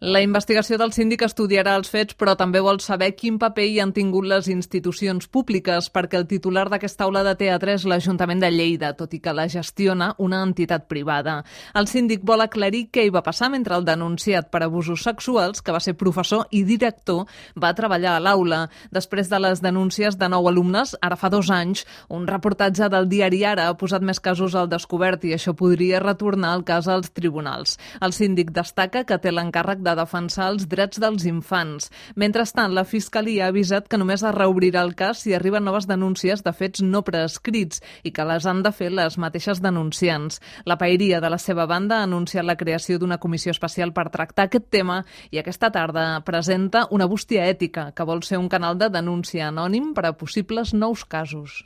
La investigació del síndic estudiarà els fets, però també vol saber quin paper hi han tingut les institucions públiques, perquè el titular d'aquesta aula de teatre és l'Ajuntament de Lleida, tot i que la gestiona una entitat privada. El síndic vol aclarir què hi va passar mentre el denunciat per abusos sexuals, que va ser professor i director, va treballar a l'aula. Després de les denúncies de 9 alumnes, ara fa 2 anys, un reportatge del diari Ara ha posat més casos al descobert i això podria retornar el cas als tribunals. El síndic destaca que té l'encàrrec de defensar els drets dels infants. Mentrestant, la Fiscalia ha avisat que només es reobrirà el cas si arriben noves denúncies de fets no prescrits i que les han de fer les mateixes denunciants. La Paeria, de la seva banda, ha anunciat la creació d'una comissió especial per tractar aquest tema i aquesta tarda presenta una bústia ètica, que vol ser un canal de denúncia anònim per a possibles nous casos.